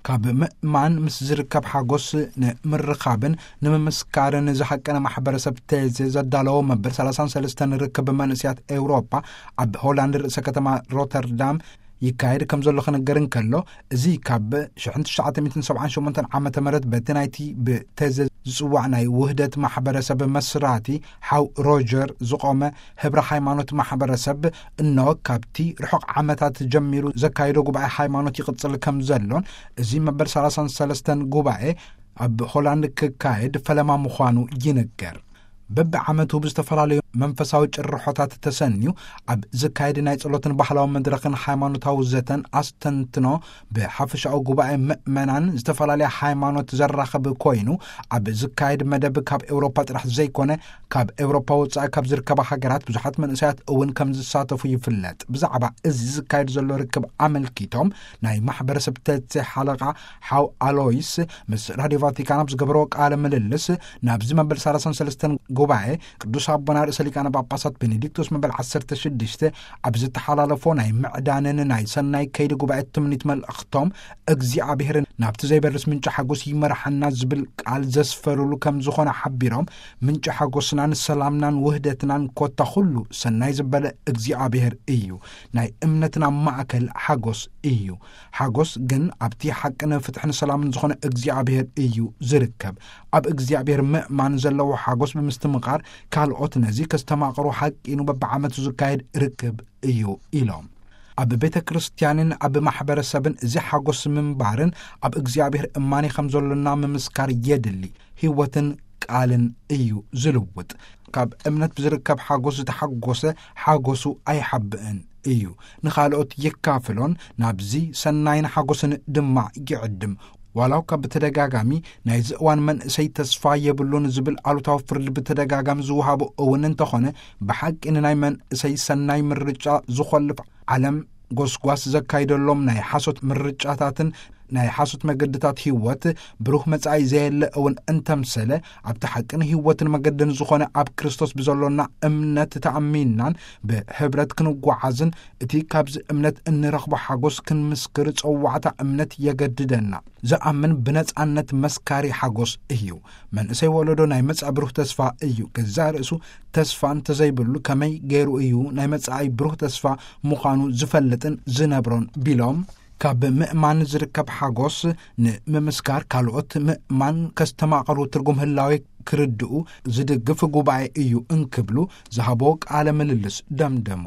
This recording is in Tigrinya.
ካብ ምእማን ምስ ዝርከብ ሓጎስ ንምርኻብን ንምምስካርን ዝሃቀነ ማሕበረሰብ ቴዜ ዘዳለዎ መበል ሰላሳን ሰለስተን ርክብ መንእስያት ኤውሮጳ ኣብ ሆላንድ ርእሰ ከተማ ሮተርዳም ይካየድ ከም ዘሎ ክነገር እንከሎ፣ እዚ ካብ ሽሕን ትሽዓተ ሚእትን ሰብዓን ሸሞንተን ዓመተ ምህረት በቲ ናይቲ ብቴዘ ዝጽዋዕ ናይ ውህደት ማሕበረሰብ መስራቲ ሓው ሮጀር ዝቖመ ህብረ ሃይማኖት ማሕበረሰብ እኖ ካብቲ ርሑቕ ዓመታት ጀሚሩ ዘካየዶ ጉባኤ ሃይማኖት ይቕጽል ከም ዘሎን፣ እዚ መበል ሰላሳን ሰለስተን ጉባኤ ኣብ ሆላንድ ክካየድ ፈለማ ምዃኑ ይንገር። በብዓመቱ ብዝተፈላለዩ መንፈሳዊ ጭርሖታት ተሰንዩ ኣብ ዝካየድ ናይ ጸሎትን ባህላዊ መድረኽን ሃይማኖታዊ ዘተን ኣስተንትኖ ብሓፈሻዊ ጉባኤ ምእመናን ዝተፈላለያ ሃይማኖት ዘራኽብ ኮይኑ፣ ኣብ ዝካየድ መደብ ካብ ኤውሮፓ ጥራሕ ዘይኮነ፣ ካብ ኤውሮፓ ወጻኢ ካብ ዝርከባ ሃገራት ብዙሓት መንእሰያት እውን ከም ዝሳተፉ ይፍለጥ። ብዛዕባ እዚ ዝካየድ ዘሎ ርክብ ኣመልኪቶም ናይ ማሕበረሰብ ተቼ ሓለቓ ሓው ኣሎይስ ምስ ራድዮ ቫቲካን ኣብ ዝገበረዎ ቃለ ምልልስ፣ ናብዚ መበል ሰላሳን ሰለስተን ጉባኤ ቅዱስ ኣቦና ርእሰ ሊቃነ ጳጳሳት ቤኔዲክቶስ መበል ዓሰርተ ሽዱሽተ ኣብ ዝተሓላለፎ ናይ ምዕዳንን ናይ ሰናይ ከይዲ ጉባኤ ትምኒት መልእኽቶም፣ እግዚኣብሔር ናብቲ ዘይበርስ ምንጪ ሓጎስ ይመርሓና ዝብል ቃል ዘስፈሩሉ ከም ዝኾነ ሓቢሮም፣ ምንጪ ሓጎስናን ሰላምናን ውህደትናን ኮታ ኩሉ ሰናይ ዝበለ እግዚኣብሔር እዩ። ናይ እምነትና ማእከል ሓጎስ እዩ። ሓጎስ ግን ኣብቲ ሓቅን ፍትሕን ሰላምን ዝኾነ እግዚኣብሔር እዩ ዝርከብ። ኣብ እግዚኣብሔር ምእማን ዘለዎ ሓጎስ ብምስትምቓር፣ ካልኦት ነዚ ከስተማቕሩ ሓቂኑ በብዓመቱ ዝካየድ ርክብ እዩ ኢሎም። ኣብ ቤተ ክርስቲያንን ኣብ ማሕበረሰብን እዚ ሓጎስ ምንባርን ኣብ እግዚኣብሔር እማኔ ከም ዘሎና ምምስካር የድሊ። ህይወትን ቃልን እዩ ዝልውጥ። ካብ እምነት ብዝርከብ ሓጎስ ዝተሓጎሰ ሓጎሱ ኣይሓብእን እዩ። ንኻልኦት የካፍሎን ናብዚ ሰናይን ሓጎስን ድማ ይዕድም። ዋላው ካብ ብተደጋጋሚ ናይዚ እዋን መንእሰይ ተስፋ የብሉን ዝብል ኣሉታዊ ፍርዲ ብተደጋጋሚ ዝወሃቡ እውን እንተኾነ፣ ብሓቂ ንናይ መንእሰይ ሰናይ ምርጫ ዝኾልፍ ዓለም ጎስጓስ ዘካይደሎም ናይ ሓሶት ምርጫታትን ናይ ሓሶት መገድታት ህይወት ብሩህ መጻኢ ዘየለ እውን እንተምሰለ፣ ኣብቲ ሓቅን ህይወትን መገድን ዝኾነ ኣብ ክርስቶስ ብዘሎና እምነት ተኣሚንናን ብህብረት ክንጓዓዝን፣ እቲ ካብዚ እምነት እንረኽቦ ሓጎስ ክንምስክር ጸዋዕታ እምነት የገድደና። ዝኣምን ብነጻነት መስካሪ ሓጎስ እዩ። መንእሰይ ወለዶ ናይ መጻኢ ብሩህ ተስፋ እዩ። ገዛእ ርእሱ ተስፋ እንተዘይብሉ ከመይ ገይሩ እዩ ናይ መጻኢ ብሩህ ተስፋ ምዃኑ ዝፈልጥን ዝነብሮን ቢሎም፣ ካብ ምእማን ዝርከብ ሓጎስ ንምምስካር ካልኦት ምእማን ከስተማቕሩ ትርጉም ህላዌ ክርድኡ ዝድግፍ ጉባኤ እዩ እንክብሉ ዝሃቦ ቃለ ምልልስ ደምደሙ።